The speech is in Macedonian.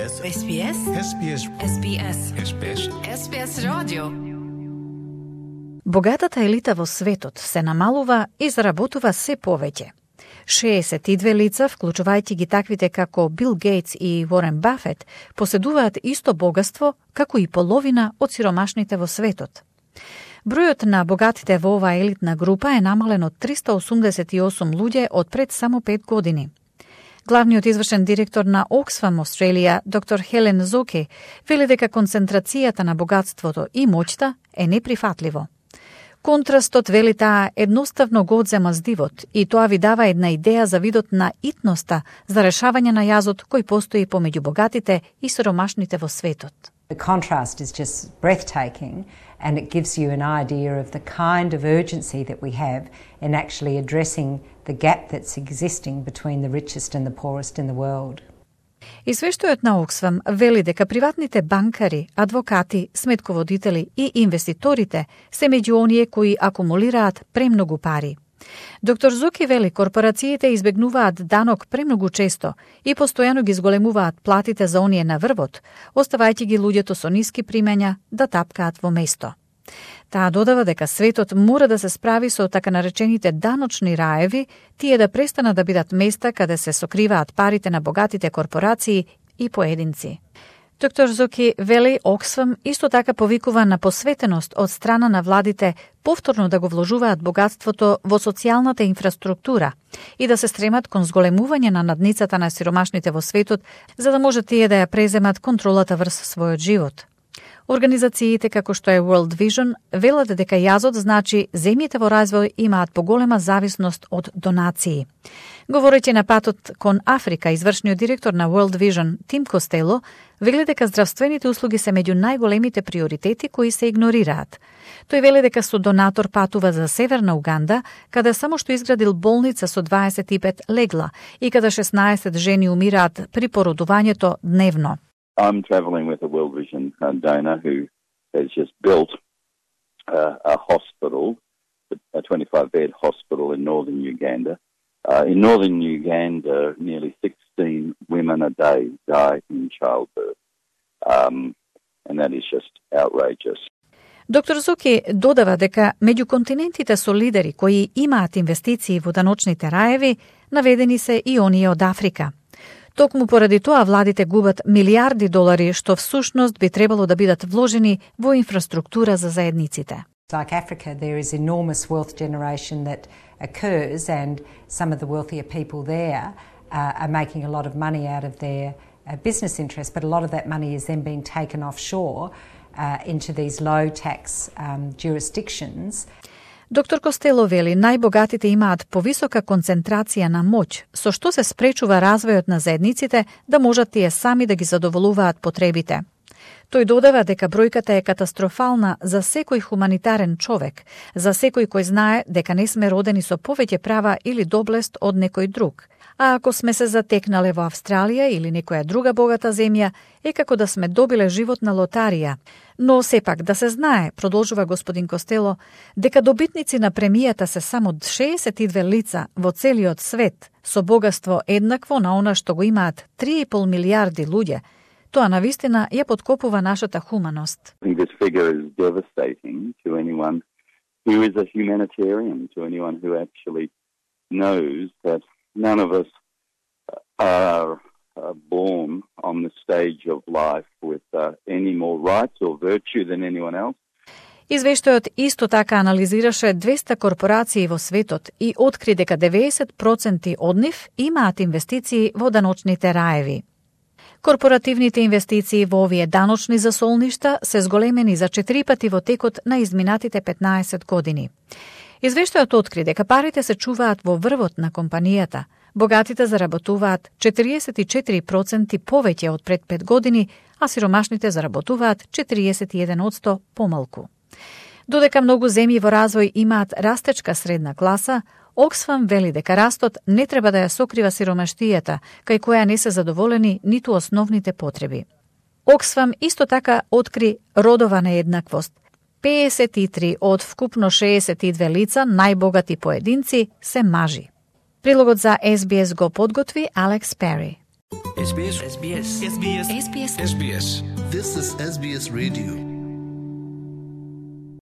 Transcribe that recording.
SBS. SBS. SBS. SBS. SBS. SBS радио. Богатата елита во светот се намалува и заработува се повеќе. 62 лица, вклучувајќи ги таквите како Бил Гейтс и Уорен Бафет, поседуваат исто богатство како и половина од сиромашните во светот. Бројот на богатите во оваа елитна група е намален од 388 луѓе од пред само 5 години. Главниот извршен директор на Oxfam Australia, доктор Хелен Зоке, вели дека концентрацијата на богатството и моќта е неприфатливо. Контрастот, вели таа, едноставно го одзема здивот и тоа ви дава една идеја за видот на итноста за решавање на јазот кој постои помеѓу богатите и сиромашните во светот. The contrast is just breathtaking, and it gives you an idea of the kind of urgency that we have in actually addressing the gap that's existing between the richest and the poorest in the world. Извештајот на Оксфам вели дека приватните банкари, адвокати, сметководители и инвеститорите се меѓу оние кои акумулираат премногу пари. Доктор Зуки вели корпорациите избегнуваат данок премногу често и постојано ги зголемуваат платите за оние на врвот, оставајќи ги луѓето со ниски примања да тапкаат во место. Таа додава дека светот мора да се справи со така наречените даночни раеви, тие да престанат да бидат места каде се сокриваат парите на богатите корпорации и поединци. Доктор Зоки вели Оксфам исто така повикува на посветеност од страна на владите повторно да го вложуваат богатството во социјалната инфраструктура и да се стремат кон зголемување на надницата на сиромашните во светот, за да може тие да ја преземат контролата врз својот живот. Организациите како што е World Vision велат дека јазот значи земјите во развој имаат поголема зависност од донации. Говорејќи на патот кон Африка, извршниот директор на World Vision Тим Костело вели дека здравствените услуги се меѓу најголемите приоритети кои се игнорираат. Тој вели дека со донатор патува за Северна Уганда, каде само што изградил болница со 25 легла и каде 16 жени умираат при породувањето дневно. I'm travelling with a World Vision donor who has just built a hospital, a 25-bed hospital in northern Uganda. In northern Uganda, nearly 16 women a day die in childbirth, and that is just outrageous. Доктор Зоки додава дека меѓу континентите со лидери кои имаат инвестиции во даночните раеви, наведени се и оние од Африка. Токму поради тоа владите губат милиарди долари што всушност би требало да бидат вложени во инфраструктура за заедниците. Like Africa, there is enormous wealth generation that occurs, and some of the wealthier people there are making a lot of money out of their business interests, but a lot of that money is then being taken offshore into these low tax jurisdictions. Доктор Костело вели најбогатите имаат повисока концентрација на моќ, со што се спречува развојот на заедниците да можат тие сами да ги задоволуваат потребите. Тој додава дека бројката е катастрофална за секој хуманитарен човек, за секој кој знае дека не сме родени со повеќе права или доблест од некој друг. А ако сме се затекнале во Австралија или некоја друга богата земја, е како да сме добиле живот на лотарија. Но сепак да се знае, продолжува господин Костело, дека добитници на премијата се само 62 лица во целиот свет, со богатство еднакво на она што го имаат 3,5 милиарди луѓе. Тоа навистина ја подкопува нашата хуманост. I think this figure is devastating to anyone who is a humanitarian, to anyone who actually knows that none of us are born on the stage of life with any more rights or virtue than anyone else. Извештајот исто така анализираше 200 корпорации во светот и откри дека 90% од нив имаат инвестиции во даночните раеви. Корпоративните инвестиции во овие даночни засолништа се зголемени за 4 пати во текот на изминатите 15 години. Извештајот откри дека парите се чуваат во врвот на компанијата. Богатите заработуваат 44% повеќе од пред 5 години, а сиромашните заработуваат 41% помалку. Додека многу земји во развој имаат растечка средна класа, Оксфам вели дека растот не треба да ја сокрива сиромаштијата, кај која не се задоволени ниту основните потреби. Оксфам исто така откри родова нееднаквост. 53 од вкупно 62 лица, најбогати поединци, се мажи. Прилогот за SBS го подготви Алекс Пери. SBS. SBS. SBS. SBS. SBS. This is SBS Radio.